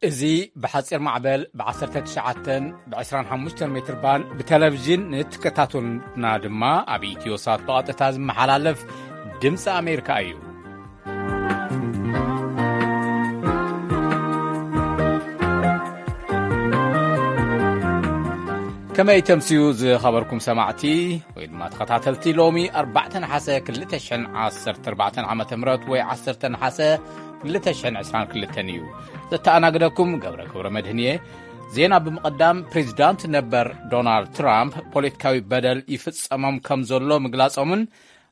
እዚ ብሓጺር ማዕበል ብ19፣ ብ25 ሜትር ባንድ ብቴሌቪዥን ንትከታተሉና ድማ ኣብ ኢትዮ ሳት ብቐጥታ ዝመሓላለፍ ድምፂ ኣሜሪካ እዩ። ከመይ ተምስዩ ዝኸበርኩም ሰማዕቲ ወይ ድማ ተኸታተልቲ፣ ሎሚ ኣርባዕተ ነሓሰ ክልተ ሽሕን ዓሰርተ ኣርባዕተን ዓመተ ምህረት ወይ ዓሰርተ ነሓሰ ክልተ ሽሕን ዕስራን ክልተን እዩ። ዘተኣናግደኩም ገብረ ገብረ መድህን እየ። ዜና ብምቕዳም፣ ፕሬዚዳንት ነበር ዶናልድ ትራምፕ ፖለቲካዊ በደል ይፍጸሞም ከም ዘሎ ምግላጾምን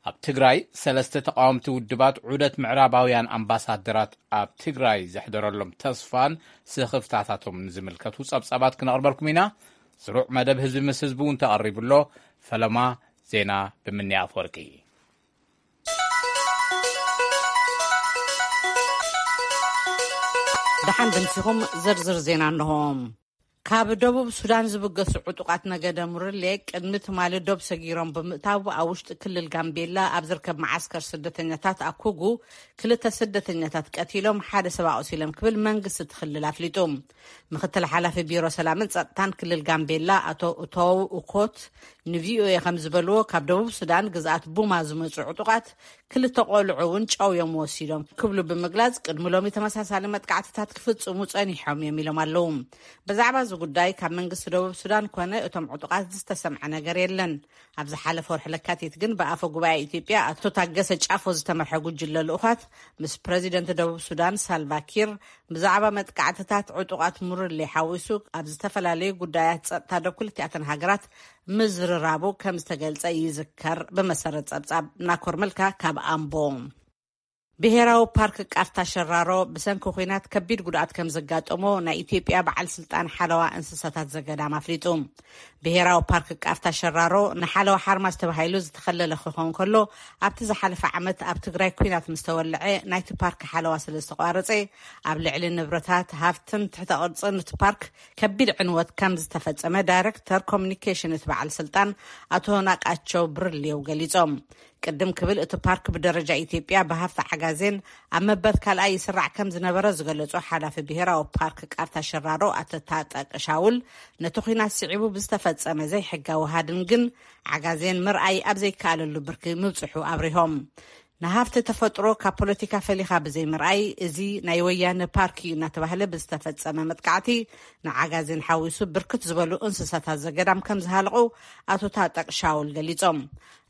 ኣብ ትግራይ ሰለስተ ተቃወምቲ ውድባት ዑደት ምዕራባውያን ኣምባሳደራት ኣብ ትግራይ ዘሕደረሎም ተስፋን ስኽፍታታቶም ዝምልከቱ ጸብጻባት ክነቕርበልኩም ኢና። ስሩዕ መደብ ህዝቢ ምስ ህዝቢ እውን ተቐሪቡ ኣሎ። ፈለማ ዜና ብምንያ ኣፈወርቂ። ደሓን ድምሲኹም። ዝርዝር ዜና እንሆ። ካብ ደቡብ ሱዳን ዝብገሱ ዕጡቓት ነገደ ሙርሌ ቅድሚ ትማሊ ዶብ ሰጊሮም ብምእታው፣ ኣብ ውሽጢ ክልል ጋምቤላ ኣብ ዝርከብ መዓስከር ስደተኛታት ኣኩጉ ክልተ ስደተኛታት ቀቲሎም፣ ሓደ ሰብ ኣቑሲሎም ክብል መንግስቲ እቲ ክልል ኣፍሊጡ። ምክትል ሓላፊ ቢሮ ሰላምን ጸጥታን ክልል ጋምቤላ ኣቶ ኡቶው ኡኮት ንቪኦኤ ከም ዝበልዎ፣ ካብ ደቡብ ሱዳን ግዝኣት ቡማ ዝመጹ ዕጡቓት ክልተ ቆልዑ እውን ጨውዮም ወሲዶም ክብሉ ብምግላጽ፣ ቅድሚ ሎሚ ተመሳሳሊ መጥቃዕትታት ክፍጽሙ ጸኒሖም እዮም ኢሎም ኣለዉ። ብዛዕባ እዚ ጉዳይ ካብ መንግስቲ ደቡብ ሱዳን ኮነ እቶም ዕጡቓት ዝተሰምዐ ነገር የለን። ኣብ ዝሓለፈ ወርሒ ለካቲት ግን ብኣፈ ጉባኤ ኢትዮጵያ ኣቶ ታገሰ ጫፎ ዝተመርሐ ጉጅለ ልኡኻት ምስ ፕረዚደንት ደቡብ ሱዳን ሳልቫ ኪር ብዛዕባ መጥቃዕትታት ዕጡቓት ሙርሌ ሓዊሱ ኣብ ዝተፈላለዩ ጉዳያት ጸጥታ ዶ ክልቲኣተን ሃገራት ምዝርራቡ ከም ዝተገልጸ ይዝከር። ብመሰረት ጸብጻብ ናኮር መልካ ካብ ኣምቦ። ብሄራዊ ፓርክ ቃፍታ ሸራሮ ብሰንኪ ኲናት ከቢድ ጉድኣት ከም ዘጋጠሞ ናይ ኢትዮጵያ በዓል ስልጣን ሓለዋ እንስሳታት ዘገዳም ኣፍሊጡ። ብሄራዊ ፓርክ ቃፍታ ሸራሮ ንሓለዋ ሓርማዝ ተባሂሉ ዝተኸለለ ክኸውን ከሎ፣ ኣብቲ ዝሓለፈ ዓመት ኣብ ትግራይ ኲናት ምስ ተወልዐ ናይቲ ፓርክ ሓለዋ ስለ ዝተቋረጸ፣ ኣብ ልዕሊ ንብረታት፣ ሃፍትን ትሕተ ቅርጽን እቲ ፓርክ ከቢድ ዕንወት ከም ዝተፈጸመ ዳይሬክተር ኮሚኒኬሽን እቲ በዓል ስልጣን ኣቶ ናቃቸው ብርሌው ገሊጾም። ቅድም ክብል እቲ ፓርክ ብደረጃ ኢትዮጵያ ብሃፍቲ ዓጋዜን ኣብ መበል ካልኣይ ይስራዕ ከም ዝነበረ ዝገለጹ ሓላፊ ብሄራዊ ፓርክ ቃፍታ ሸራሮ ኣቶ ታጠቅ ሻውል፣ ነቲ ኲናት ስዒቡ ብዝተፈጸመ ዘይሕጋዊ ሃድን ግን ዓጋዜን ምርኣይ ኣብ ዘይከኣለሉ ብርኪ ምብጽሑ ኣብሪሆም። ንሃፍቲ ተፈጥሮ ካብ ፖለቲካ ፈሊኻ ብዘይምርኣይ፣ እዚ ናይ ወያነ ፓርክ እዩ እናተባህለ ብዝተፈጸመ መጥቃዕቲ ንዓጋዜን ሓዊሱ ብርክት ዝበሉ እንስሳታት ዘገዳም ከም ዝሃለቑ ኣቶ ታጠቅ ሻውል ገሊጾም።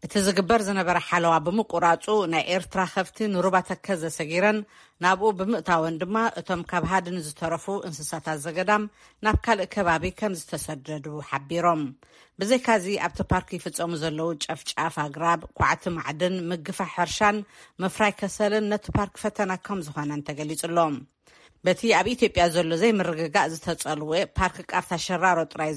እቲ ዝግበር ዝነበረ ሓለዋ ብምቁራጹ፣ ናይ ኤርትራ ከፍቲ ንሩባ ተከዘ ሰጊረን ናብኡ ብምእታወን ድማ፣ እቶም ካብ ሃድን ዝተረፉ እንስሳታት ዘገዳም ናብ ካልእ ከባቢ ከም ዝተሰደዱ ሓቢሮም። ብዘይካዚ፣ ኣብቲ ፓርክ ይፍጸሙ ዘለዉ ጨፍጫፍ ኣግራብ፣ ኳዕቲ ማዕድን፣ ምግፋሕ ሕርሻን ምፍራይ ከሰልን ነቲ ፓርክ ፈተና ከም ዝኾነን ተገሊጹ ኣሎ። በቲ ኣብ ኢትዮጵያ ዘሎ ዘይምርግጋእ ዝተጸልወ ፓርክ ቃፍታ ሸራሮ ጥራይ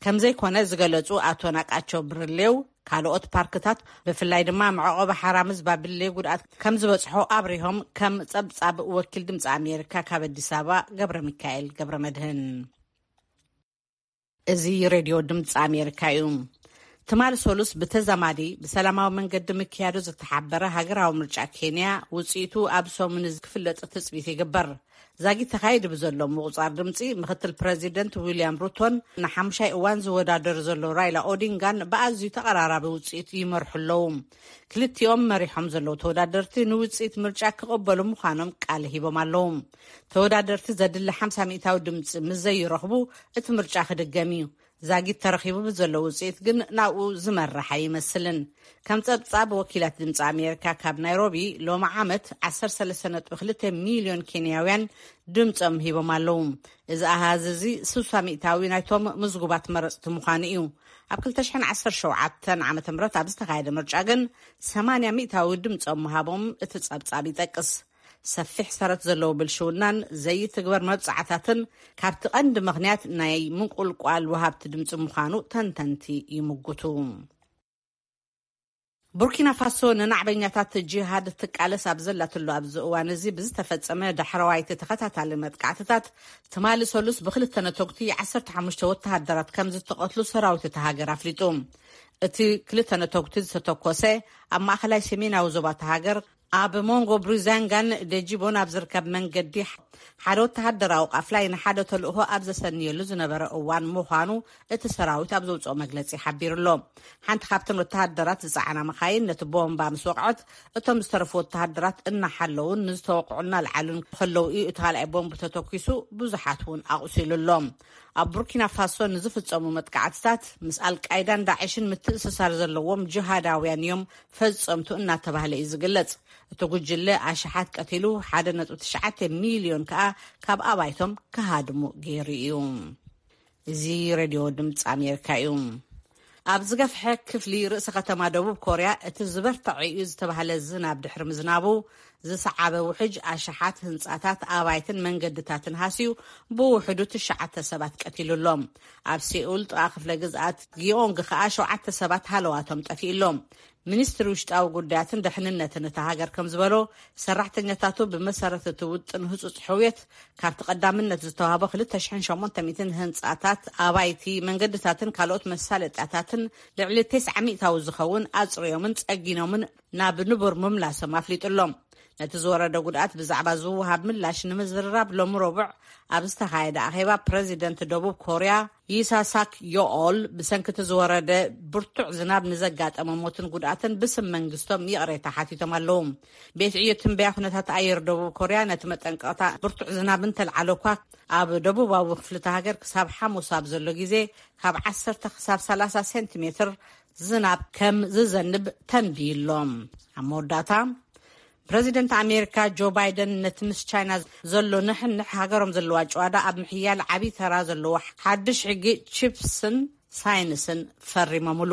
ከም ዘይኮነ ዝገለጹ ኣቶ ናቃቸው ብርሌው፣ ካልኦት ፓርክታት ብፍላይ ድማ መዕቆቢ ሓራምዝ ባቢሌ ጉድኣት ከም ዝበጽሖ ኣብሪሆም። ከም ጸብጻብ ወኪል ድምጺ ኣሜሪካ ካብ ኣዲስ ኣበባ ገብረ ሚካኤል ገብረ መድህን። እዚ ሬድዮ ድምፂ ኣሜሪካ እዩ። ትማሊ ሰሉስ ብተዛማዲ ብሰላማዊ መንገዲ ምክያዱ ዝተሓበረ ሃገራዊ ምርጫ ኬንያ ውፅኢቱ ኣብ ሰሙን እዚ ክፍለጥ ትፅቢት ይግበር። ዛጊት ተኻይዱ ብዘሎ ምቁፃር ድምፂ፣ ምክትል ፕረዚደንት ዊልያም ሩቶን ንሓሙሻይ እዋን ዝወዳደር ዘሎ ራይላ ኦዲንጋን ብኣዝዩ ተቐራራቢ ውፅኢት ይመርሑ ኣለዉ። ክልቲኦም መሪሖም ዘለዉ ተወዳደርቲ ንውፅኢት ምርጫ ክቕበሉ ምዃኖም ቃል ሂቦም ኣለዉ። ተወዳደርቲ ዘድሊ ሓምሳ ሚእታዊ ድምፂ ምስ ዘይረኽቡ፣ እቲ ምርጫ ክድገም እዩ። ዛጊት ተረኺቡ ብዘሎ ውፅኢት ግን ናብኡ ዝመርሕ ኣይመስልን። ከም ፀብፃብ ወኪላት ድምፂ ኣሜሪካ ካብ ናይሮቢ፣ ሎሚ ዓመት ዓሰርተ ሰለስተ ነጥቢ ክልተ ሚልዮን ኬንያውያን ድምፆም ሂቦም ኣለዉ። እዚ ኣሃዝ እዚ ስሳ ሚእታዊ ናይቶም ምዝጉባት መረፅቲ ምዃኑ እዩ። ኣብ ክልተ ሽሕን ዓሰርተ ሸውዓተን ዓመተ ምህረት ኣብ ዝተኻየደ ምርጫ ግን ሰማንያ ሚእታዊ ድምፆም ምሃቦም እቲ ፀብፃብ ይጠቅስ። ሰፊሕ ሰረት ዘለዎ ብልሽውናን ዘይትግበር መብጻዕታትን ካብቲ ቀንዲ ምኽንያት ናይ ምንቁልቋል ወሃብቲ ድምፂ ምዃኑ ተንተንቲ ይምጉቱ። ቡርኪና ፋሶ ንናዕበኛታት ጂሃድ ትቃለስ ኣብ ዘላትሉ ኣብዚ እዋን እዚ ብዝተፈጸመ ዳሕረዋይቲ ተኸታታሊ መጥቃዕትታት፣ ትማሊ ሰሉስ ብክልተ ነተጉቲ ዓሰርተ ሓሙሽተ ወተሃደራት ከም ዝተቐትሉ ሰራዊት እታ ሃገር ኣፍሊጡ። እቲ ክልተ ነተጉቲ ዝተተኮሰ ኣብ ማእከላይ ሰሜናዊ ዞባ እታ ሃገር ኣብ መንጎ ብሪዛንጋን ደጂቦን ኣብ ዝርከብ መንገዲ ሓደ ወተሃደራዊ ቃፍላይ ንሓደ ተልእኾ ኣብ ዘሰንየሉ ዝነበረ እዋን ምዃኑ እቲ ሰራዊት ኣብ ዘውፅኦ መግለፂ ሓቢሩ ኣሎ። ሓንቲ ካብተን ወተሃደራት ዝፀዓና መኻይን ነቲ ቦምባ ምስ ወቕዐት፣ እቶም ዝተረፉ ወተሃደራት እናሓለውን ንዝተወቕዑ እናልዓሉን ከለዉ እዩ እቲ ካልኣይ ቦምብ ተተኲሱ፣ ብዙሓት እውን ኣቑሲሉ ኣሎ። ኣብ ቡርኪና ፋሶ ንዝፍጸሙ መጥቃዕትታት ምስ ኣልቃይዳን ዳዕሽን ምትእስሳር ዘለዎም ጅሃዳውያን እዮም ፈጸምቱ እናተባህለ እዩ ዝግለጽ። እቲ ጉጅለ ኣሽሓት ቀቲሉ፣ ሓደ ነጥቢ ትሽዓተ ሚልዮን ከኣ ካብ ኣባይቶም ክሃድሙ ገይሩ እዩ። እዚ ሬድዮ ድምፂ ኣሜሪካ እዩ። ኣብ ዝገፍሐ ክፍሊ ርእሰ ከተማ ደቡብ ኮርያ እቲ ዝበርትዐ እዩ ዝተባህለ ዝናብ ድሕሪ ምዝናቡ ዝሰዓበ ውሕጅ ኣሽሓት ህንጻታት፣ ኣባይትን መንገድታትን ሃስዩ ብውሕዱ ትሽዓተ ሰባት ቀቲሉ ኣሎ። ኣብ ሴኡል ጥቓ ክፍለ ግዝኣት ጊዮንግ ከኣ ሸውዓተ ሰባት ሃለዋቶም ጠፊኡ ኣሎ። ሚኒስትሪ ውሽጣዊ ጉዳያትን ደሕንነትን እታ ሃገር ከም ዝበሎ፣ ሰራሕተኛታቱ ብመሰረት እቲ ውጥን ህጹጽ ሕውየት ካብቲ ቀዳምነት ዝተዋህቦ ክልተ ሽሕን ሸሞንተ ሚእትን ህንጻታት፣ ኣባይቲ፣ መንገድታትን ካልኦት መሳለጥያታትን ልዕሊ ተስዓ ሚእታዊ ዝኸውን ኣጽርዮምን ጸጊኖምን ናብ ንቡር ምምላሶም ኣፍሊጡ ኣሎ። ነቲ ዝወረደ ጉድኣት ብዛዕባ ዝወሃብ ምላሽ ንምዝርራብ ሎሚ ረቡዕ ኣብ ዝተኻየደ ኣኼባ ፕረዚደንት ደቡብ ኮርያ ይሳሳክ ዮኦል ብሰንኪ እቲ ዝወረደ ብርቱዕ ዝናብ ንዘጋጠመ ሞትን ጉድኣትን ብስም መንግስቶም ይቕሬታ ሓቲቶም ኣለዉ። ቤት ዕዮ ትንበያ ኩነታት ኣየር ደቡብ ኮርያ ነቲ መጠንቀቕታ ብርቱዕ ዝናብ እንተልዓለ እኳ ኣብ ደቡባዊ ክፍሊ እታ ሃገር ክሳብ ሓሙስ ኣብ ዘሎ ግዜ ካብ ዓሰርተ ክሳብ ሰላሳ ሴንቲሜትር ዝናብ ከም ዝዘንብ ተንብዩ ኣሎ። ኣብ መወዳእታ ፕረዚደንት ኣሜሪካ ጆ ባይደን ነቲ ምስ ቻይና ዘሎ ንሕንሕ ሃገሮም ዘለዋ ጨዋዳ ኣብ ምሕያል ዓብዪ ተራ ዘለዎ ሓድሽ ሕጊ ቺፕስን ሳይንስን ፈሪሞምሉ።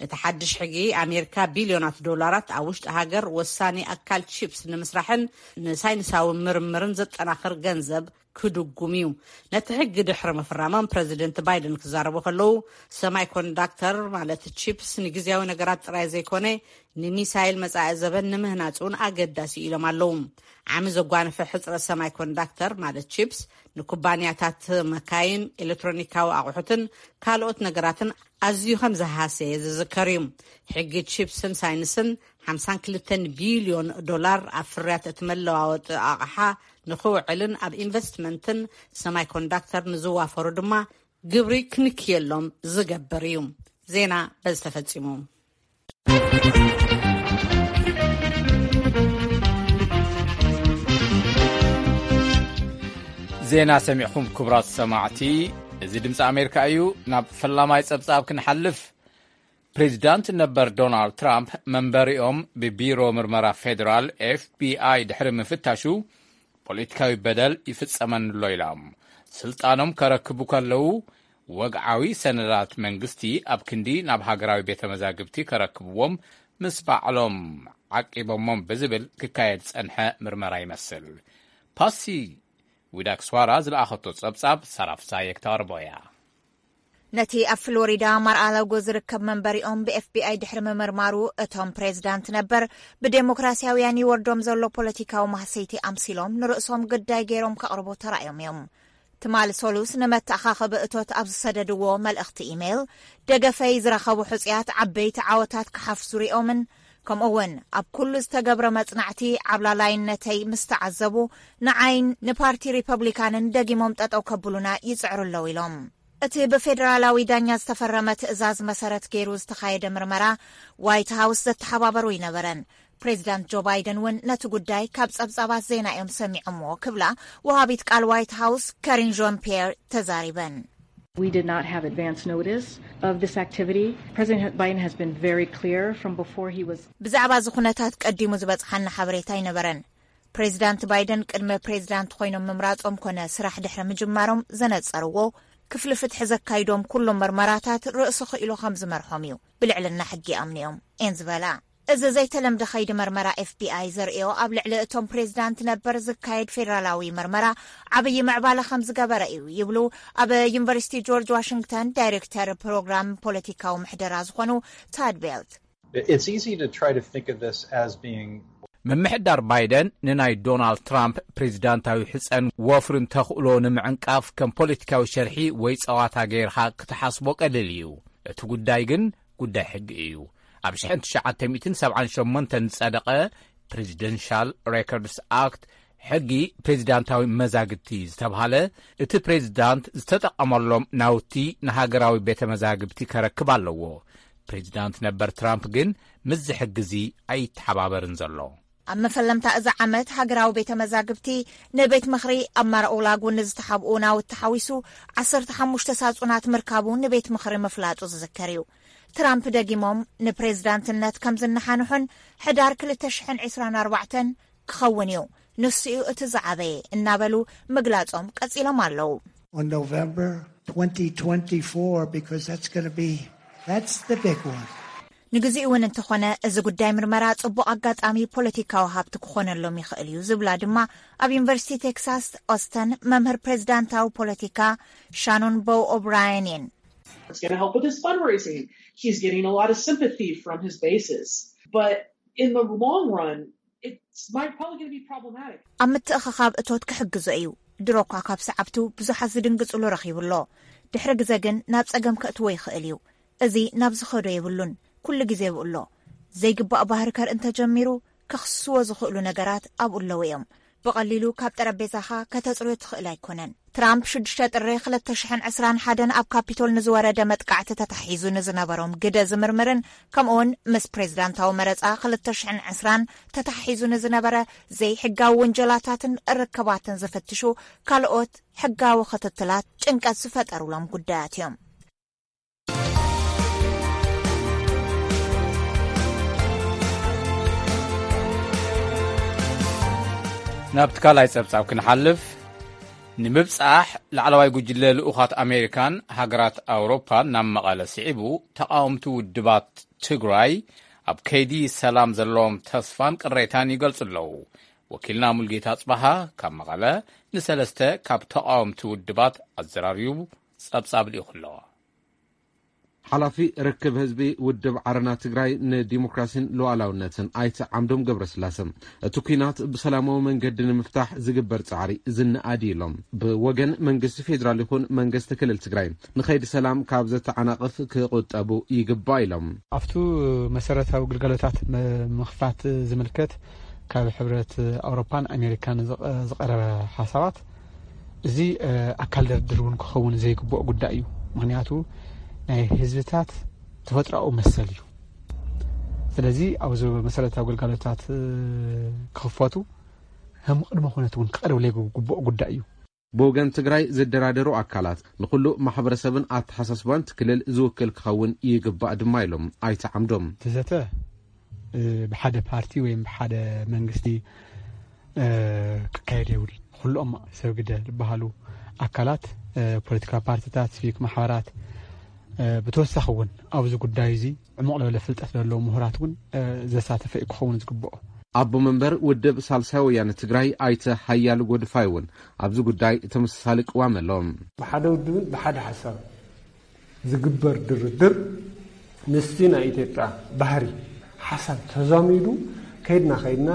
እቲ ሓድሽ ሕጊ ኣሜሪካ ቢልዮናት ዶላራት ኣብ ውሽጢ ሃገር ወሳኒ ኣካል ቺፕስ ንምስራሕን ንሳይንሳዊ ምርምርን ዘጠናኽር ገንዘብ ክድጉም እዩ። ነቲ ሕጊ ድሕሪ ምፍራሞም ፕረዚደንት ባይደን ክዛረቡ ከለዉ ሰማይ ኮንዳክተር ማለት ቺፕስ ንግዜያዊ ነገራት ጥራይ ዘይኮነ ንሚሳይል መጻኢ ዘበን ንምህናጽ እውን ኣገዳሲ ኢሎም ኣለዉ። ዓሚ ዘጓነፈ ሕጽረት ሰማይ ኮንዳክተር ማለት ቺፕስ ንኩባንያታት መካይን፣ ኤሌክትሮኒካዊ ኣቑሑትን ካልኦት ነገራትን ኣዝዩ ከም ዝሃሰየ ዝዝከር እዩ። ሕጊ ቺፕስን ሳይንስን ሓምሳን ክልተን ቢልዮን ዶላር ኣብ ፍርያት እቲ መለዋወጢ ኣቕሓ ንኽውዕልን ኣብ ኢንቨስትመንትን ሰማይ ኮንዳክተር ንዝዋፈሩ ድማ ግብሪ ክንክየሎም ዝገብር እዩ። ዜና በዚ ተፈጺሙ። ዜና ሰሚዕኹም ክቡራት ሰማዕቲ፣ እዚ ድምፂ ኣሜሪካ እዩ። ናብ ፈላማይ ጸብጻብ ክንሓልፍ፣ ፕሬዚዳንት ነበር ዶናልድ ትራምፕ መንበሪኦም ብቢሮ ምርመራ ፌዴራል ኤፍቢኣይ ድሕሪ ምፍታሹ ፖለቲካዊ በደል ይፍጸመኒ ኣሎ ኢሎም ስልጣኖም ከረክቡ ከለዉ፣ ወግዓዊ ሰነዳት መንግስቲ ኣብ ክንዲ ናብ ሃገራዊ ቤተ መዛግብቲ ከረክብዎም ምስ ባዕሎም ዓቂቦሞም ብዝብል ክካየድ ዝጸንሐ ምርመራ ይመስል። ፓሲ ዊዳክስዋራ ዝለኣኸቶ ጸብጻብ ሳራፍሳየ ክተቕርቦ እያ። ነቲ ኣብ ፍሎሪዳ ማርኣላጎ ዝርከብ መንበሪኦም ብኤፍቢኣይ ድሕሪ ምምርማሩ፣ እቶም ፕሬዚዳንት ነበር ብዴሞክራሲያውያን ይወርዶም ዘሎ ፖለቲካዊ ማህሰይቲ ኣምሲሎም ንርእሶም ግዳይ ገይሮም ከቕርቡ ተራእዮም እዮም። ትማሊ ሰሉስ ንመተኣኻኸቢ እቶት ኣብ ዝሰደድዎ መልእኽቲ ኢሜይል፣ ደገፈይ ዝረኸቡ ሕጹያት ዓበይቲ ዓወታት ክሓፍሱ ሪኦምን፣ ከምኡ እውን ኣብ ኩሉ ዝተገብረ መጽናዕቲ ዓብላላይነተይ ምስ ተዓዘቡ፣ ንዓይን ንፓርቲ ሪፐብሊካንን ደጊሞም ጠጠው ከብሉና ይጽዕሩ ኣለዉ ኢሎም። እቲ ብፌደራላዊ ዳኛ ዝተፈረመ ትእዛዝ መሰረት ገይሩ ዝተኻየደ ምርመራ ዋይት ሃውስ ዘተሓባበሩ ኣይነበረን። ፕሬዚዳንት ጆ ባይደን እውን ነቲ ጉዳይ ካብ ጸብጻባት ዜና እዮም ሰሚዖምዎ ክብላ ወሃቢት ቃል ዋይት ሃውስ ከሪን ዣን ፒየር ተዛሪበን። We did not have advance notice of this activity. President Biden has been very clear from before he was ብዛዕባ እዚ ኩነታት ቀዲሙ ዝበጽሓና ሓበሬታ ኣይነበረን። ፕሬዚዳንት ባይደን ቅድመ ፕሬዚዳንት ኮይኖም ምምራጾም ኮነ ስራሕ ድሕሪ ምጅማሮም ዘነጸርዎ፣ ክፍሊ ፍትሒ ዘካይዶም ኩሎም መርመራታት ርእሲ ክኢሉ ከም ዝመርሖም እዩ ብልዕልና ሕጊ ይኣምኑ እዮም እየን ዝበላ። እዚ ዘይተለምደ ከይዲ መርመራ ኤፍቢኣይ ዘርእዮ ኣብ ልዕሊ እቶም ፕሬዚዳንት ነበር ዝካየድ ፌደራላዊ መርመራ ዓብዪ ምዕባለ ከም ዝገበረ እዩ ይብሉ ኣብ ዩኒቨርሲቲ ጆርጅ ዋሽንግተን ዳይሬክተር ፕሮግራም ፖለቲካዊ ምሕደራ ዝኾኑ ታድ ቤልት። It's easy to try to think of this as being ምምሕዳር ባይደን ንናይ ዶናልድ ትራምፕ ፕሬዚዳንታዊ ሕጸን ወፍርን ተኽእሎ ንምዕንቃፍ ከም ፖለቲካዊ ሸርሒ ወይ ጸዋታ ገይርኻ ክትሓስቦ ቀሊል እዩ። እቲ ጉዳይ ግን ጉዳይ ሕጊ እዩ። ኣብ ሽሕን ትሽዓተ ሚእትን ሰብዓን ሸሞንተን ዝጸደቐ ፕሬዚደንሻል ሬኮርድስ ኣክት፣ ሕጊ ፕሬዚዳንታዊ መዛግብቲ ዝተብሃለ፣ እቲ ፕሬዚዳንት ዝተጠቐመሎም ናውቲ ንሃገራዊ ቤተ መዛግብቲ ከረክብ ኣለዎ። ፕሬዚዳንት ነበር ትራምፕ ግን ምስዚ ሕጊ እዚ ኣይተሓባበርን ዘሎ። ኣብ መፈለምታ እዚ ዓመት ሃገራዊ ቤተ መዛግብቲ ንቤት ምኽሪ ኣብ ማራኦላጉ ንዝተሓብኡ ናውቲ ሓዊሱ ዓሰርተ ሓሙሽተ ሳጹናት ምርካቡ ንቤት ምኽሪ ምፍላጡ ዝዝከር እዩ። ትራምፕ ደጊሞም ንፕሬዝዳንትነት ከም ዝነሓንሑን ሕዳር ክልተ ሽሕን ዕስራን ኣርባዕተን ክኸውን እዩ፣ ንሱ እዩ እቲ ዝዓበየ እናበሉ ምግላጾም ቀጺሎም ኣለዉ። On November twenty twenty-four, because that's going to be, that's the big one. ንግዚኡ እውን እንተኾነ፣ እዚ ጉዳይ ምርመራ ጽቡቕ ኣጋጣሚ ፖለቲካዊ ሃብቲ ክኾነሎም ይኽእል እዩ ዝብላ ድማ ኣብ ዩኒቨርሲቲ ቴክሳስ ኦስተን መምህር ፕሬዝዳንታዊ ፖለቲካ ሻኖን ቦው ኦብራየን እየን። It's going to help with his fundraising. He's getting a lot of sympathy from his bases. But in the long run, it's might probably going to be problematic. ኣብ ምትእኽኻብ እቶት ክሕግዞ እዩ። ድሮ እኳ ካብ ሰዓብቱ ብዙሓት ዝድንግጽሉ ረኺቡ ኣሎ። ድሕሪ ግዘ ግን ናብ ጸገም ከእትዎ ይኽእል እዩ። እዚ ናብ ዝኸዶ የብሉን። ኩሉ ግዜ ብኡ ኣሎ። ዘይግባእ ባህሪ ከርኢ እንተጀሚሩ፣ ከኽስስዎ ዝኽእሉ ነገራት ኣብኡ ኣለዉ እዮም። ብቐሊሉ ካብ ጠረጴዛኻ ከተጽርዮ ትኽእል ኣይኮነን። ትራምፕ ሽዱሽተ ጥሪ ክልተ ሽሕን ዕስራን ሓደን ኣብ ካፒቶል ንዝወረደ መጥቃዕቲ ተታሒዙ ንዝነበሮም ግደ ዝምርምርን፣ ከምኡውን ምስ ፕሬዝዳንታዊ መረጻ ክልተ ሽሕን ዕስራን ተታሒዙ ንዝነበረ ዘይሕጋዊ ውንጀላታትን ርክባትን ዝፍትሹ ካልኦት ሕጋዊ ክትትላት ጭንቀት ዝፈጠሩሎም ጉዳያት እዮም። ናብቲ ካልኣይ ጸብጻብ ክንሓልፍ፣ ንምብጻሕ ላዕለዋይ ጉጅለ ልኡኻት ኣሜሪካን ሃገራት ኣውሮፓን ናብ መቐለ ስዒቡ፣ ተቓወምቲ ውድባት ትግራይ ኣብ ከይዲ ሰላም ዘለዎም ተስፋን ቅሬታን ይገልጹ ኣለዉ። ወኪልና ሙልጌታ ኣጽባሃ ካብ መቐለ ንሰለስተ ካብ ተቓወምቲ ውድባት ኣዘራሪቡ ጸብጻብ ልኢኹ ኣሎ። ሓላፊ ርክብ ህዝቢ ውድብ ዓረና ትግራይ ንዲሞክራሲን ሉዓላውነትን ኣይተ ዓምዶም ገብረስላሰ፣ እቲ ኲናት ብሰላማዊ መንገዲ ንምፍታሕ ዝግበር ጻዕሪ ዝነኣድ እዩ ኢሎም። ብወገን መንግስቲ ፌዴራል ይኹን መንግስቲ ክልል ትግራይ ንኸይዲ ሰላም ካብ ዘተዓናቕፍ ክቑጠቡ ይግባእ ኢሎም። ኣብቱ መሰረታዊ ግልጋሎታት ም- ምኽፋት ዝምልከት ካብ ሕብረት ኣውሮፓን ኣሜሪካን ዝቐ- ዝቐረበ ሓሳባት እዚ ኣካል ድርድር እውን ክኸውን ዘይግብኦ ጉዳይ እዩ። ምክንያቱ ናይ ህዝብታት ተፈጥሮኣዊ መሰል እዩ። ስለዚ ኣብዚ መሰረታዊ ግልጋሎታት ክኽፈቱ ከም ቅድመ ኩነት እውን ክቐርብ ዘይግብኦ ጉዳይ እዩ። ብወገን ትግራይ ዝደራደሩ ኣካላት ንኹሉ ማሕበረሰብን ኣተሓሳስባን እቲ ክልል ዝውክል ክኸውን ይግባእ ድማ ኢሎም ኣይተ ዓምዶም። እቲ ዘተ ብሓደ ፓርቲ ወይም ብሓደ መንግስቲ ክካየድ የብሉን። ኩሎም ሰብ ግደ ዝበሃሉ ኣካላት፣ ፖለቲካዊ ፓርቲታት፣ ሲቪክ ማሕበራት፣ ብተወሳኺ እውን ኣብዚ ጉዳይ እዚ ዕሙቕ ዝበለ ፍልጠት ዘለዎም ምሁራት እውን ዘሳተፈ እዩ ክኸውን ዝግብኦ። ኣቦ መንበር ውድብ ሳልሳይ ወያነ ትግራይ ኣይተ ሓያሉ ጎድፋይ እውን ኣብዚ ጉዳይ ተመሳሳሊ ቅዋም ኣለዎም። ብሓደ ውድብን ብሓደ ሓሳብ ዝግበር ድርድር ምስቲ ናይ ኢትዮጵያ ባህሪ ሓሳብ ተዛሚዱ ከይድና ከይድና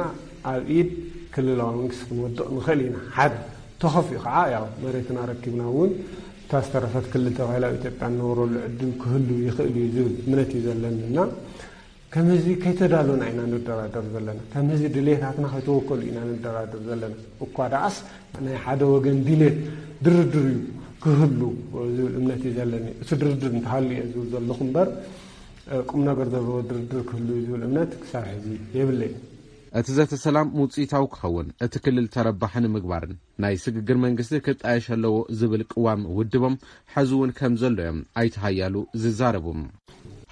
ኣብ ኢድ ክልላዊ መንግስቲ ክንወድቕ ንኽእል ኢና። ሓደ ተኸፊኡ ከዓ ያው መሬትና ረኪብና እውን እታ ዝተረፈት ክልል ተባሂላ ኣብ ኢትዮጵያ እንነብረሉ ዕድል ክህሉ ይኽእል እዩ ዝብል እምነት እዩ ዘለኒ እና ከም ህዝቢ ከይተዳለና ኢና ንደራደር ዘለና። ከም ህዝቢ ድሌታትና ከይተወከሉ ኢና ንደራደር ዘለና። እኳ ደኣስ ናይ ሓደ ወገን ድሌት ድርድር እዩ ክህሉ ዝብል እምነት እዩ ዘለኒ። እቲ ድርድር እንተሃልዩ እየ ዝብል ዘለኹ እምበር ቁም ነገር ዘለዎ ድርድር ክህሉ እዩ ዝብል እምነት ክሳብ ሕዚ የብለይ። እቲ ዘተ ሰላም ውፅኢታዊ ክኸውን እቲ ክልል ተረባሒ ንምግባርን ናይ ስግግር መንግስቲ ክጣየሽ ኣለዎ ዝብል ቅዋም ውድቦም ሐዚ እውን ከም ዘሎ እዮም ኣይተ ሓያሉ ዝዛረቡ።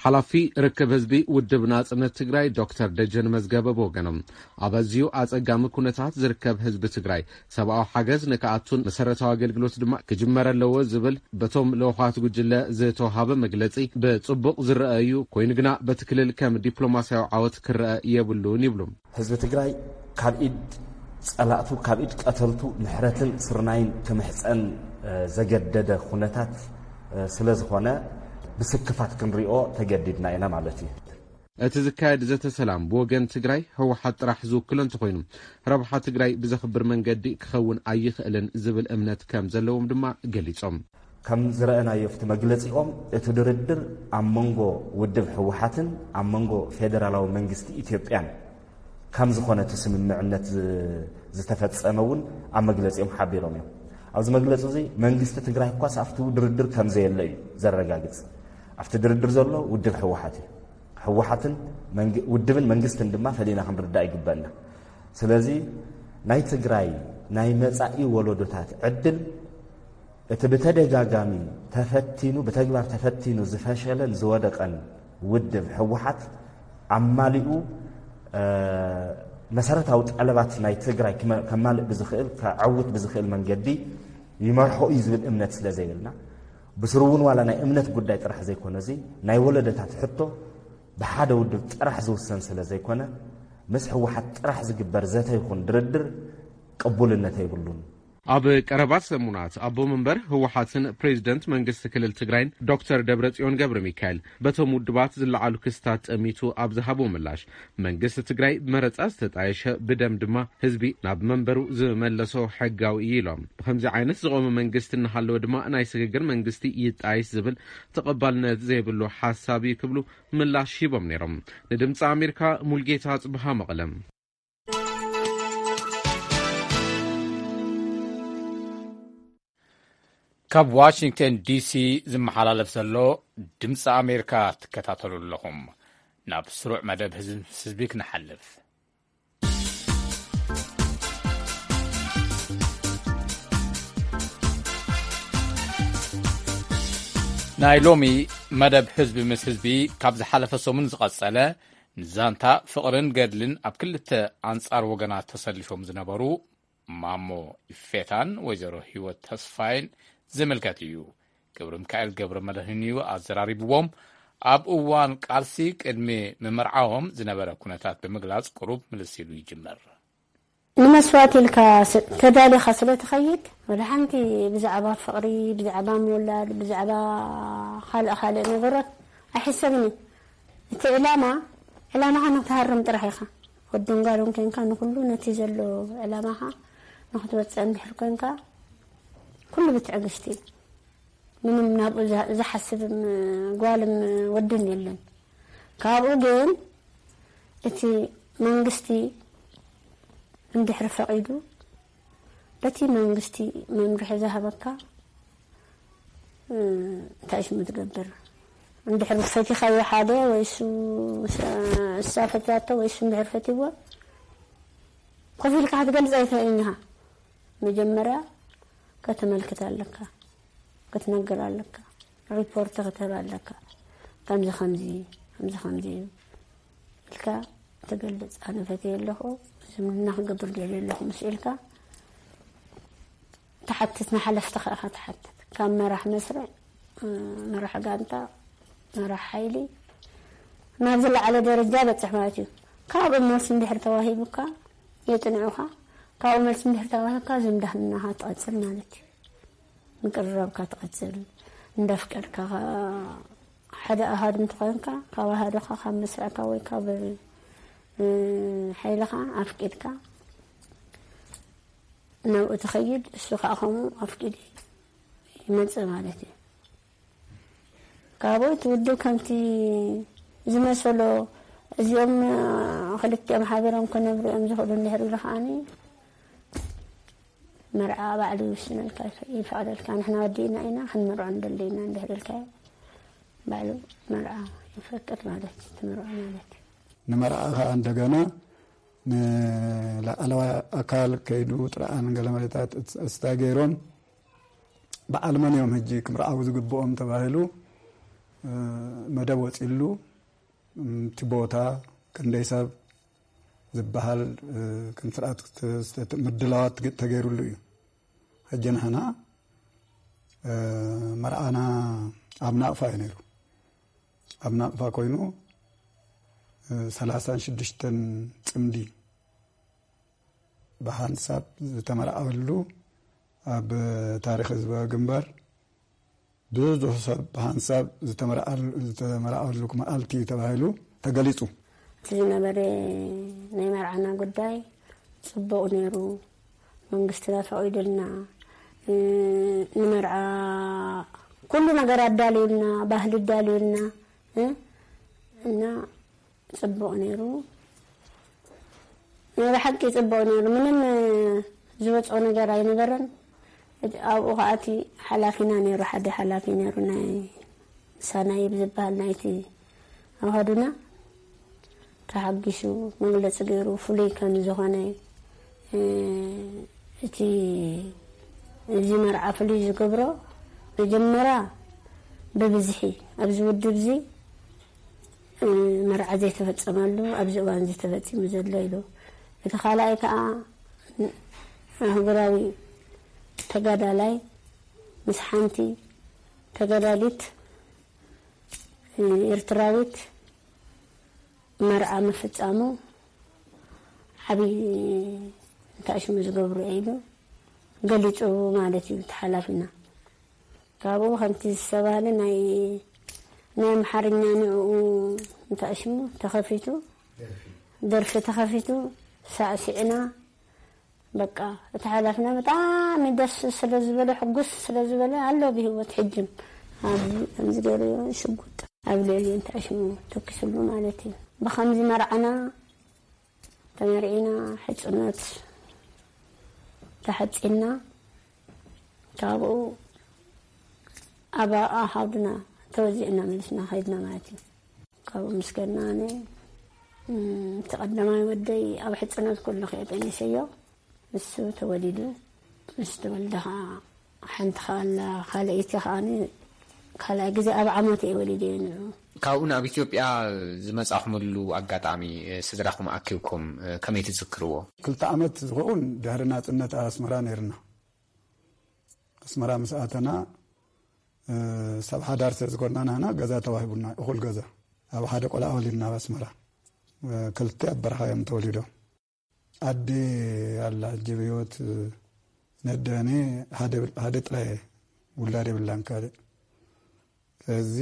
ሓላፊ ርክብ ህዝቢ ውድብ ናጽነት ትግራይ ዶክተር ደጀን መዝገበ ብወገኖም ኣብ ኣዝዩ ኣጸጋሚ ኩነታት ዝርከብ ህዝቢ ትግራይ ሰብኣዊ ሓገዝ ንክኣቱን መሰረታዊ ኣገልግሎት ድማ ክጅመር ኣለዎ ዝብል በቶም ልኡኻት ጉጅለ ዝተውሃበ መግለጺ ብጽቡቕ ዝረኣ እዩ፣ ኮይኑ ግና በቲ ክልል ከም ዲፕሎማስያዊ ዓወት ክረኣ የብሉን ይብሉ። ህዝቢ ትግራይ ካብ ኢድ ጸላእቱ ካብ ኢድ ቀተልቱ ምሕረትን ስርናይን ክምሕጸን ዘገደደ ኩነታት ስለ ዝኾነ ብስክፋት ክንሪኦ ተገዲድና ኢና ማለት እዩ። እቲ ዝካየድ ዘተ ሰላም ብወገን ትግራይ ህወሓት ጥራሕ ዝውክሎ እንተኾይኑ ረብሓ ትግራይ ብዘኽብር መንገዲ ክኸውን ኣይኽእልን ዝብል እምነት ከም ዘለዎም ድማ ገሊፆም። ከም ዝረኣናዮ ኣብቲ መግለፂኦም እቲ ድርድር ኣብ መንጎ ውድብ ህወሓትን ኣብ መንጎ ፌደራላዊ መንግስቲ ኢትዮጵያን ከም ዝኾነ እቲ ስምምዕነት ዝ-፣ ዝተፈጸመ እውን ኣብ መግለጺኦም ሓቢሮም እዮም። ኣብዚ መግለጺ እዚ መንግስቲ ትግራይ እኳስ ኣብቲ ድርድር ከም ዘየለ እዩ ዘረጋግጽ። ኣብቲ ድርድር ዘሎ ውድብ ህወሓት እዩ። ህወሓትን መንግ-፣ ውድብን መንግስትን ድማ ፈሊና ክንርዳእ ይግበአና። ስለዚ ናይ ትግራይ ናይ መጻኢ ወለዶታት ዕድል እቲ ብተደጋጋሚ ተፈቲኑ፣ ብተግባር ተፈቲኑ ዝፈሸለን ዝወደቐን ውድብ ህወሓት ኣማሊኡ፣ እ፣ መሰረታዊ ጠለባት ናይ ትግራይ ክመ-፣ ከማልእ ብዝኽእል፣ ከዐውት ብዝኽእል መንገዲ ይመርሖ እዩ ዝብል እምነት ስለ ዘይብልና፣ ብስሩ እውን ዋላ ናይ እምነት ጉዳይ ጥራሕ ዘይኮነ፣ እዚ ናይ ወለደታት ሕቶ ብሓደ ውድብ ጥራሕ ዝውሰን ስለ ዘይኮነ፣ ምስ ህወሓት ጥራሕ ዝግበር ዘተ ይኹን ድርድር ቅቡልነት የብሉን። ኣብ ቀረባ ሰሙናት ኣቦ መንበር ህወሓትን ፕሬዚደንት መንግስቲ ክልል ትግራይን ዶክተር ደብረጽዮን ገብረ ሚካኤል በቶም ውድባት ዝለዓሉ ክስታት ጠሚቱ ኣብ ዝሃቦ ምላሽ፣ መንግስቲ ትግራይ ብመረጻ ዝተጣየሸ፣ ብደም ድማ ህዝቢ ናብ መንበሩ ዝመለሶ ሕጋዊ እዩ ኢሎም። ብከምዚ ዓይነት ዝቖመ መንግስቲ እናሃለወ ድማ ናይ ስግግር መንግስቲ ይጣይሽ ዝብል ተቐባልነት ዘይብሉ ሓሳብ እዩ ክብሉ ምላሽ ሂቦም ነይሮም። ንድምፂ ኣሜሪካ ሙልጌታ ጽብሃ መቐለም። ካብ ዋሽንግተን ዲሲ ዝመሓላለፍ ዘሎ ድምፂ ኣሜሪካ ትከታተሉ ኣለኹም። ናብ ስሩዕ መደብ ህዝቢ ምስ ህዝቢ ክንሓልፍ። ናይ ሎሚ መደብ ህዝቢ ምስ ህዝቢ ካብ ዝሓለፈ ሰሙን ዝቐጸለ፣ ንዛንታ ፍቕርን ገድልን ኣብ ክልተ ኣንጻር ወገናት ተሰሊፎም ዝነበሩ ማሞ ኢፌታን ወይዘሮ ህይወት ተስፋይን ዝምልከት እዩ። ገብረ ሚካኤል ገብረ መድህን እዩ ኣዘራሪብዎም። ኣብ እዋን ቃልሲ ቅድሚ ምምርዓዎም ዝነበረ ኩነታት ብምግላጽ ቁሩብ ምልስ ኢሉ ይጅምር። ንመስዋእቲ ኢልካ ስ-፣ ተዳሊኻ ስለ ትኸይድ፣ ወላ ሓንቲ ብዛዕባ ፍቕሪ፣ ብዛዕባ ምውላድ፣ ብዛዕባ ካልእ ካልእ ነገራት ኣይሕሰብን እዩ። እቲ ዕላማ፣ ዕላማኻ ንክትሃርም ጥራሕ ኢኻ። ወድን ጓልን ኮንካ ንኹሉ ነቲ ዘሎ ዕላማኻ ንክትወፅእ እንድሕር ኮንካ፣ ኩሉ ብትዕግስቲ እዩ። ምንም ናብኡ ዛ-፣ ዝሓስብም ጓልም ወድን የለን። ካብኡ ግን እቲ መንግስቲ እንድሕር ፈቒዱ፣ በቲ መንግስቲ መምርሒ ዝሃበካ፣ እ፣ እንታይ ሽሙ ትገብር? እንድሕር ፈቲኻዮ ሓደ ወይ እሱ፣ እሳ ፈትያቶ ወይ እሱ እንድሕር ፈትይዎ፣ ኮፍ ኢልካ ክትገልጽ ኣይትኽእልን ኢኻ። መጀመርያ ከተመልክት ኣለካ፣ ክትነግር ኣለካ፣ ሪፖርት ክትህብ ኣለካ። ከምዚ ከምዚ፣ ከምዚ ከምዚ እዩ ኢልካ ትገልጽ። ኣነ ፈትየ ኣለኹ፣ ዝምድና ክገብር ደልየ ኣለኹ ምስ ኢልካ ትሓትት፣ ንሓለፍትኻ ኢኻ ትሓትት። ካብ መራሕ መስርዕ፣ እ፣ መራሕ ጋንታ፣ መራሕ ሓይሊ ናብ ዝለዓለ ደረጃ በጽሕ ማለት እዩ። ካብኡ መልሲ እንድሕር ተዋሂቡካ፣ የጽንዑኻ። ካብኡ መልሲ እንድሕር ተዋሂብካ፣ ዝምድናኻ ትቐጽል ማለት እዩ። ምቅርራብካ ትቐጽል። እንዳፍቀድካ፣ ሓደ ኣሃዱ እንተኾይንካ፣ ካብ ኣሃዱኻ፣ ካብ መስርዕካ ወይ ካብ፣ እ፣ ሓይልኻ ኣፍቂድካ ናብኡ ትኸይድ፣ እሱ ከዓ ከምኡ ኣፍቂዱ ይመጽእ ማለት እዩ። ካብኡ እቲ ውድብ ከምቲ ዝመሰሎ፣ እዚኦም ክልቲኦም ሓቢሮም ክነብሩ እዮም ዝኽእሉ እንድሕር ኢሉ ከዓኒ፣ መርዓ ባዕሉ ይውስነልካ፣ ይፈ-፣ ይፈቕደልካ። ንሕና ወዲእና ኢና፣ ክንምርዖ ንደሊ ኢና እንድሕር ኢልካዮ፣ ባዕሉ መርዓ ይፈቅድ ማለት እዩ፣ ትምርዖ ማለት እዩ። ንመርዓ ከዓ እንደገና ንላዕለዋይ ኣካል ከይዱ ጥርዓን ገለ መለታት እስታ ገይሮም፣ በዓል መን እዮም ሕጂ ክምርዓው ዝግብኦም ተባሂሉ፣ እ፣ መደብ ወፂሉ፣ እም፣ እቲ ቦታ ክንደይ ሰብ ዝበሃል፣ እ፣ ክንስርዓት ክተ-፣ ምድላዋት ተገይሩሉ እዩ። ሕጂ ንሕና፣ እ፣ መርዓና ኣብ ናቕፋ እዩ ነይሩ። ኣብ ናቕፋ ኮይኑ፣ እ፣ ሰላሳን ሽዱሽተን ጽምዲ ብሓንሳብ ዝተመርዓወሉ፣ ኣብ ታሪኽ ህዝባዊ ግንባር ብዙሕ ሰብ ብሓንሳብ ዝተመርዓል-፣ ዝተመርዓወሉ መዓልቲ እዩ ተባሂሉ ተገሊጹ። እቲ ዝነበረ ናይ መርዓና ጉዳይ ጽቡቕ ነይሩ። መንግስትና ፈቒዱልና፣ እ፣ ንመርዓ ኩሉ ነገር ኣዳልዩልና፣ ባህሊ ኣዳልዩልና፣ እ፣ እና ጽቡቕ ነይሩ። ናይ ብሓቂ ጽቡቕ ነይሩ። ምንም ዝወጽኦ ነገር ኣይነበረን። ኣብኡ ከኣ እቲ ሓላፊና ነይሩ፣ ሓደ ሓላፊ ነይሩ፣ ናይ ሳናይብ ዝበሃል ናይቲ ኣሃዱና ተሓጒሱ መግለጺ ገይሩ፣ ፍሉይ ከም ዝኾነ፣ እ፣ እቲ እዚ መርዓ ፍሉይ ዝገብሮ፣ መጀመርያ ብብዝሒ ኣብዚ ውድብ እዚ፣ እ፣ መርዓ ዘይተፈጸመሉ ኣብዚ እዋን እዚ ተፈጺሙ ዘሎ ኢሉ። እቲ ካልኣይ ከኣ ኣህጉራዊ ተጋዳላይ ምስ ሓንቲ ተጋዳሊት ኤርትራዊት መርዓ ምፍጻሙ ዓብዪ እንታይ ሽሙ ዝገብሩ ኢሉ ገሊጹ ማለት እዩ እቲ ሓላፊና። ካብኡ ከምቲ ዝተባህለ ናይ፣ ናይ ኣምሓርኛ ንዕኡ እንታይ ሽሙ ተኸፊቱ፣ ደርፊ ተኸፊቱ፣ ሳዕሲዕና። በቃ እቲ ሓላፊና ብጣዕሚ ደስ ስለ ዝበለ፣ ሕጉስ ስለ ዝበለ ኣሎ ብህይወት ሕጅም። ኣብዚ ከምዚ ገይሩ ሽጉጥ ኣብ ልዕሊ እንታይ ሽሙ ተኪስሉ ማለት እዩ። ብኸምዚ መርዓና ተመርዒና፣ ሕጽኖት ተሓጺና፣ ካብኡ ኣብ ኣሃዱና ተወዚዕና መሊስና ከይድና ማለት እዩ። ካብኡ ምስ ከድና ኣነ፣ እም፣ እቲ ቀዳማይ ወደይ ኣብ ሕጽኖት ኩሉ ከየ ጠኒሰዮ፣ ንሱ ተወሊዱ። ምስ ተወልደ ኸዓ ሓንቲ ኸዓ ኣላ፣ ካልኣይቲ ኸዓ ካልኣይ ግዜ ኣብ ዓመት እየ ወሊደዮ ንዑ። ካብኡ ናብ ኢትዮጵያ ዝመጻኹምሉ ኣጋጣሚ፣ እ፣ ስድራኹም ኣኪብኩም፣ እ፣ ከመይ ትዝክርዎ? ክልተ ዓመት ዝኸውን ድሕሪ ናጽነት ኣብ ኣስመራ ነይርና። ኣስመራ ምስ ኣተና፣ እ፣ ሰብ ሓዳር ስለ ዝኾንና ንሕና ገዛ ተዋሂቡና፣ እኹል ገዛ። ኣብ ሓደ ቆልዓ ወሊድና ኣብ ኣስመራ። እ፣ ክልተ ኣብ በረኻ እዮም ተወሊዶም። ኣደ ኣላ፣ ሕጂ ብህይወት ነደኔ ሓደ፣ ሓደ ጥራይ ውላድ የብላን ካልእ። ስለዚ፣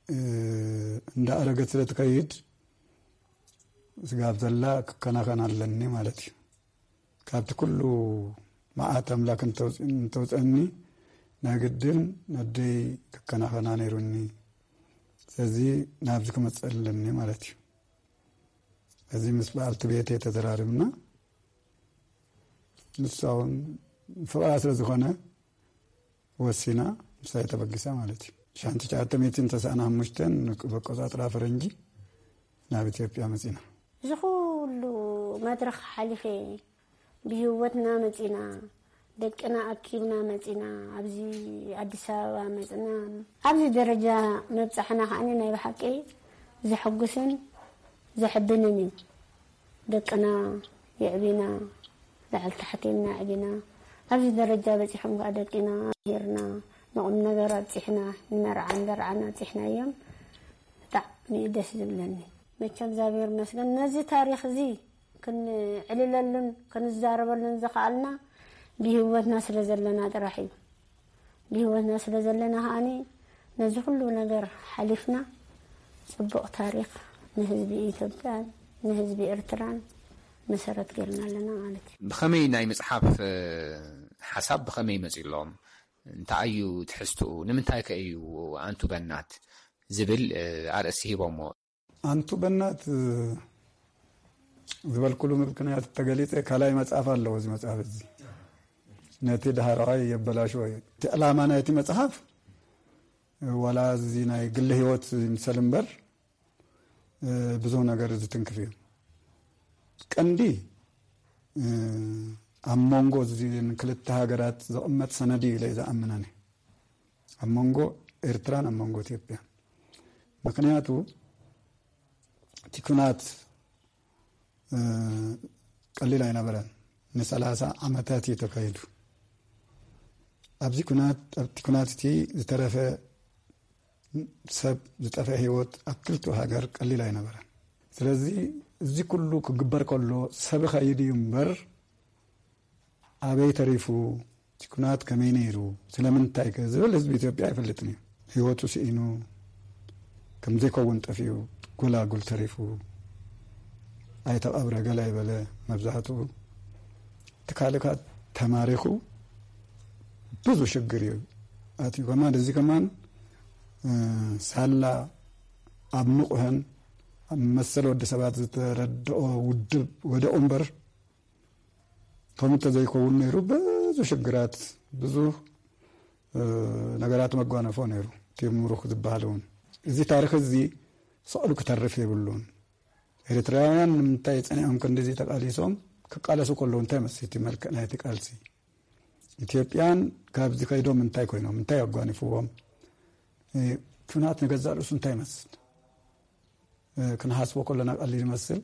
እ፣ እንዳ ኣረገት ስለ ትከይድ ስጋብ ዘላ ክከናኸን ኣለኒ ማለት እዩ። ካብቲ ኩሉ መዓት ኣምላክ እንተውፅ-፣ እንተውፀኒ ናይ ግድን ነደይ ክከናኸና ነይሩኒ። ስለዚ ናብዚ ክመፅእ ኣለኒ ማለት እዩ። እዚ ምስ በዓልቲ ቤተይ ተዘራሪብና፣ ንሳ እውን ፍቕራ ስለ ዝኾነ ወሲና፣ ንሳ እያ ተበጊሳ ማለት እዩ። ሻንቲ ትሽዓተ ሚእትን ተስዓን ሓሙሽተን ብኣቆጻጽራ ፈረንጂ ናብ ኢትዮጵያ መጺና። እዚ ኩሉ መድረኽ ሓሊፈ ብህይወትና መጺና፣ ደቅና ኣኪብና መጺና፣ ኣብዚ ኣዲስ ኣበባ መጽና። ኣብዚ ደረጃ ምብጻሕና ከኣኒ ናይ ብሓቂ ዘሐጉስን ዘሕብንን እዩ። ደቅና የዕቢና፣ ላዕሊ ታሕቲ ኢልና ኣዕቢና፣ ኣብዚ ደረጃ በጺሖም ከኣ ደቂና ሂርና፣ ንቑም ነገር ኣብጺሕና፣ ንመርዓን ደርዓን ኣብጺሕናዮም። ብጣዕሚ እዩ ደስ ዝብለኒ። መቸም እግዚኣብሔር ይመስገን፣ ነዚ ታሪኽ እዚ ክንዕልለሉን ክንዛረበሉን ዝኸኣልና ብህይወትና ስለ ዘለና ጥራሕ እዩ። ብህይወትና ስለ ዘለና ከኣኒ ነዚ ኩሉ ነገር ሓሊፍና ጽቡቕ ታሪኽ ንህዝቢ ኢትዮጵያን ንህዝቢ ኤርትራን መሰረት ጌርና ኣለና ማለት እዩ። ብኸመይ ናይ ምጽሓፍ፣ እ፣ ሓሳብ ብኸመይ መጺሎም? እንታይ እዩ ትሕዝትኡ? ንምንታይ ከ እዩ ኣንቱ በናት ዝብል፣ እ፣ ኣርእስቲ ሂቦሞ? ኣንቱ በናት፣ እ፣ ዝበልኩሉ ምክንያት ተገሊጸ ካልኣይ መጽሓፍ ኣለዎ። እዚ መጽሓፍ እዚ ነቲ ዳህራዋይ የበላሽዎ እዩ። እቲ ዕላማ ናይቲ መጽሓፍ፣ እ፣ ዋላ እዚ ናይ ግሊ ህይወት ይምሰል እምበር፣ እ፣ ብዙሕ ነገር ዝትንክፍ እዩ። ቀንዲ፣ እ፣ ኣብ መንጎ እዚን ክልተ ሃገራት ዝቕመጥ ሰነድ እዩ ኢለ ዝኣምን ኣነ። ኣብ መንጎ ኤርትራን ኣብ መንጎ ኢትዮጵያን። ምኽንያቱ እቲ ኩናት፣ እ፣ ቀሊል ኣይነበረን። ንሰላሳ ዓመታት እዩ ተካይዱ። ኣብዚ ኩናት፣ ኣብቲ ኩናት እቲ ዝተረፈ ሰብ፣ ዝጠፍአ ህይወት ኣብ ክልቲኡ ሃገር ቀሊል ኣይነበረን። ስለዚ እዚ ኩሉ ክግበር ከሎ ሰብ ይኸይድ እዩ እምበር ኣበይ ተሪፉ፣ እቲ ኩናት ከመይ ነይሩ፣ ስለምንታይ ከ ዝብል ህዝቢ ኢትዮጵያ ኣይፈልጥን እዩ። ህይወቱ ስኢኑ፣ ከም ዘይከውን ጠፊኡ፣ ጎላጉል ተሪፉ፣ ኣይተቐብረ፣ ገለ ኣይበለ። መብዛሕትኡ እቲ ካልእ ከኣ ተማሪኹ ብዙ ሽግር እዩ ኣትዩ። ከማን እዚ ከማን፣ እ፣ ሳላ ኣብ ምቑሀን ኣብ መሰል ወዲ ሰባት ዝተረድኦ ውድብ ወደኦ እምበር፣ ከምኡ እንተዘይከውን ነይሩ ብዙ ሽግራት፣ ብዙ ነገራት መጓነፎ ነይሩ። እቲ ምሩኽ ዝበሃል እውን፣ እዚ ታሪኽ እዚ ስቕሉ ክተርፍ የብሉን። ኤርትራውያን ንምንታይ ጸኒዖም ክንዲዚ ተቃሊሶም ክቃለሱ ከለዉ እንታይ መስል እቲ መልክዕ ናይቲ ቃልሲ? ኢትዮጵያን ካብዚ ከይዶም እንታይ ኮይኖም፣ እንታይ ኣጓኒፍዎም? ኩናት ንገዛእ ርእሱ እንታይ ይመስል? ክንሓስቦ ከለና ቀሊል ይመስል፣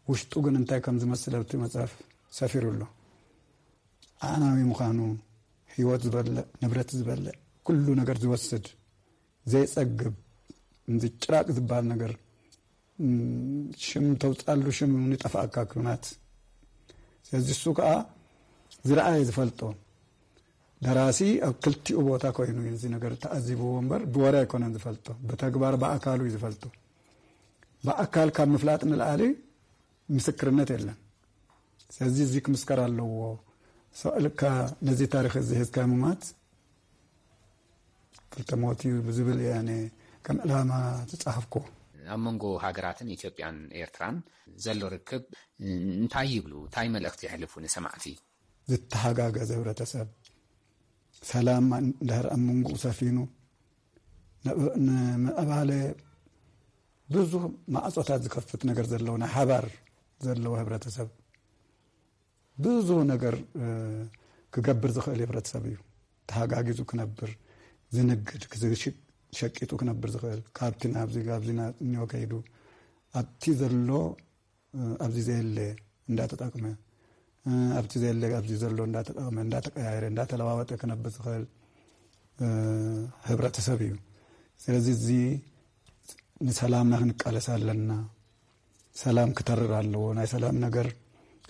ውሽጡ ግን እንታይ ከም ዝመስል ኣብቲ መጽሓፍ ሰፊሩ ኣሎ። ኣዕናዊ ምዃኑ፣ ህይወት ዝበልዕ፣ ንብረት ዝበልዕ፣ ኩሉ ነገር ዝወስድ፣ ዘይጸግብ፣ እዚ ጭራቅ ዝበሃል ነገር፣ ሽም ተውጻሉ፣ ሽም ንጠፍኣካ ኩናት። ስለዚ እሱ ከኣ ዝረኣየ ዝፈልጦ ደራሲ ኣብ ክልቲኡ ቦታ ኮይኑ እዩ እዚ ነገር ተኣዚብዎ እምበር ብወረ ኣይኮነን ዝፈልጦ፣ ብተግባር ብኣካሉ እዩ ዝፈልጦ። ብኣካል ካብ ምፍላጥ ንልኣሊ ምስክርነት የለን። ስለዚ እዚ ክምስከር ኣለዎ። ሰቕልካ ነዚ ታሪኽ እዚ ሒዝካ ምማት ክልተ ሞት እዩ ብዝብል እየ ኣነ ከም ዕላማ ዝጸሓፍኩ። ኣብ መንጎ ሃገራትን ኢትዮጵያን ኤርትራን ዘሎ ርክብ እንታይ ይብሉ? እንታይ መልእኽቲ የሕልፉ ንሰማዕቲ? ዝተሓጋገዘ ህብረተሰብ፣ ሰላም እንድሕር ኣብ መንጎኡ ሰፊኑ፣ ንምዕባለ ብዙ ማዕጾታት ዝከፍት ነገር ዘለዎ፣ ናይ ሓባር ዘለዎ ህብረተሰብ፣ ብዙ ነገር ክገብር ዝኽእል ህብረተሰብ እዩ። ተሓጋጊዙ ክነብር፣ ዝንግድ፣ ሸቂጡ ክነብር ዝኽእል፣ ካብቲ ናብዚ፣ ካብዚ እኒኦ ከይዱ ኣብቲ ዘሎ ኣብዚ ዘየለ እንዳተጠቅመ፣ ኣብቲ ዘየለ ኣብዚ ዘሎ እንዳተጠቅመ፣ እንዳተቀያየረ፣ እንዳተለዋወጠ ክነብር ዝኽእል ህብረተሰብ እዩ። ስለዚ እዚ ንሰላምና ክንቃለስ ኣለና። ሰላም ክተርር ኣለዎ። ናይ ሰላም ነገር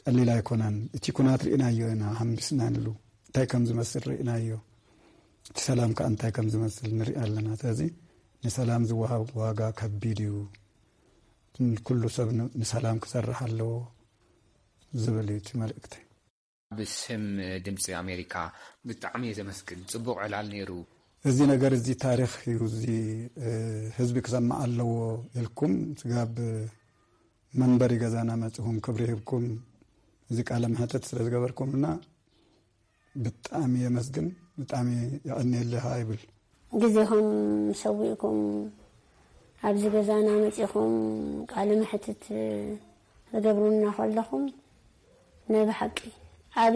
ቀሊል ኣይኮነን። እቲ ኩናት ርኢናዮ ኢና፣ ሓምቢስናሉ፣ እንታይ ከም ዝመስል ርኢናዮ። እቲ ሰላም ከኣ እንታይ ከም ዝመስል ንርኢ ኣለና። ስለዚ ንሰላም ዝወሃብ ዋጋ ከቢድ እዩ። ኩሉ ሰብ ን-፣ ንሰላም ክሰርሕ ኣለዎ ዝብል እዩ እቲ መልእክተይ። ብስም ድምፂ ኣሜሪካ ብጣዕሚ እየ ዘመስግን። ፅቡቕ ዕላል ነይሩ። እዚ ነገር እዚ ታሪኽ እዩ፣ እዚ ህዝቢ ክሰምዕ ኣለዎ ኢልኩም ስጋብ መንበሪ ገዛና መፂኹም ክብሪ ሂብኩም እዚ ቃለ መሕተት ስለ ዝገበርኩምና ብጣዕሚ የመስግን፣ ብጣዕሚ የቐንየልኻ ይብል። ግዜኹም ሰዊእኩም ኣብዚ ገዛና መፂኹም ቃለ መሕትት ትገብሩና ከለኹም ናይ ብሓቂ ዓቢ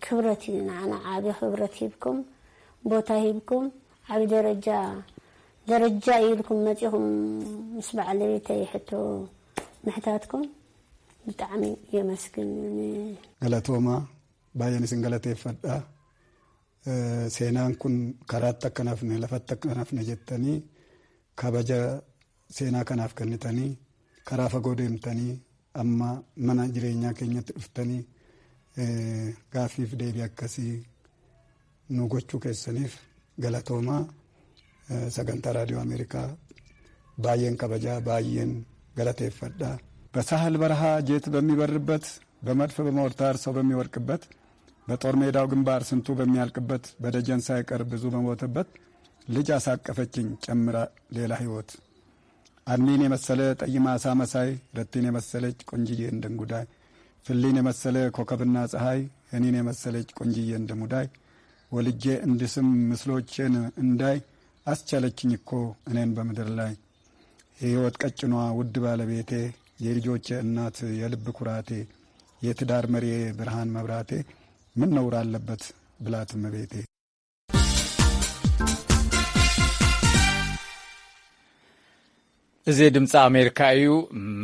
ክብረት እዩ ንዓና፣ ዓቢ ክብረት ሂብኩም፣ ቦታ ሂብኩም፣ ዓቢ ደረጃ፣ ደረጃ እዩ ኢልኩም መፂኹም ምስ በዓለቤተይ ሕቶ ምሕታትኩም ብጣዕሚ የመስግን። ገለቶማ ባየኒ ስንገለቴ ፈዳ፣ እ፣ ሴናን ኩን ከራተ ከናፍነ፣ ለፈተ ከናፍነ ጀተኒ፣ ከበጀ ሴና ከናፍ ከኒተኒ፣ ከራ ፈጎ ደምተኒ፣ ኣማ መና ጅሬኛ ኬኘት ዱፍተኒ፣ እ፣ ጋፊፍ ደቢ ኣከሲ ኑ ጎቹ ኬሰኒፍ ገለቶማ። Sagantaa Raadiyoo Ameerikaa baay'een kabajaa, baay'een galateeffadha. በሳህል በረሃ ጄት በሚበርበት፣ በመድፍ በሞርታር ሰው በሚወድቅበት፣ በጦር ሜዳው ግንባር ስንቱ በሚያልቅበት፣ በደጀን ሳይቀር ብዙ በሞተበት፣ ልጅ አሳቀፈችኝ ጨምራ ሌላ ህይወት። አድሚን የመሰለ ጠይም አሳ መሳይ፣ ረቲን የመሰለች ቆንጅዬ እንደንጉዳይ፣ ፍሊን የመሰለ ኮከብና ፀሐይ፣ እኔን የመሰለች ቆንጅዬ እንደሙዳይ፣ ወልጄ እንድስም ምስሎቼን እንዳይ አስቻለችኝ እኮ እኔን በምድር ላይ። የህይወት ቀጭኗ ውድ ባለቤቴ፣ የልጆቼ እናት፣ የልብ ኩራቴ፣ የትዳር መሪዬ፣ ብርሃን መብራቴ፣ ምን ነውር አለበት ብላት እመቤቴ። እዚ ድምፂ ኣሜሪካ እዩ።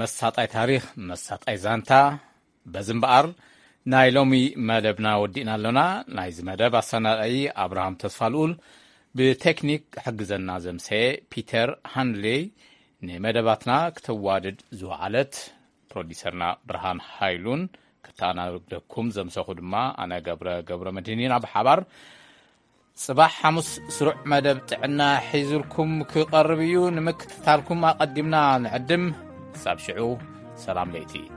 መሳጣይ ታሪኽ፣ መሳጣይ ዛንታ። በዚ እምበኣር፣ ናይ ሎሚ መደብና ወዲእና ኣሎና። ናይዚ መደብ ኣሰናዳኢ ኣብርሃም ተስፋልኡል፣ ብቴክኒክ ክሕግዘና ዘምሰየ ፒተር ሃንሌይ፣ ንመደባትና ክተዋድድ ዝወዓለት ፕሮዲሰርና ብርሃን ሃይሉን፣ ክተኣናግደኩም ዘምሰኹ ድማ ኣነ ገብረ፣ ገብረ መድህን ኢና። ብሓባር ጽባሕ ሓሙስ ስሩዕ መደብ ጥዕና ሒዙልኩም ክቐርብ እዩ። ንምክትታልኩም ኣቐዲምና ንዕድም። ክሳብ ሽዑ፣ ሰላም ለይቲ።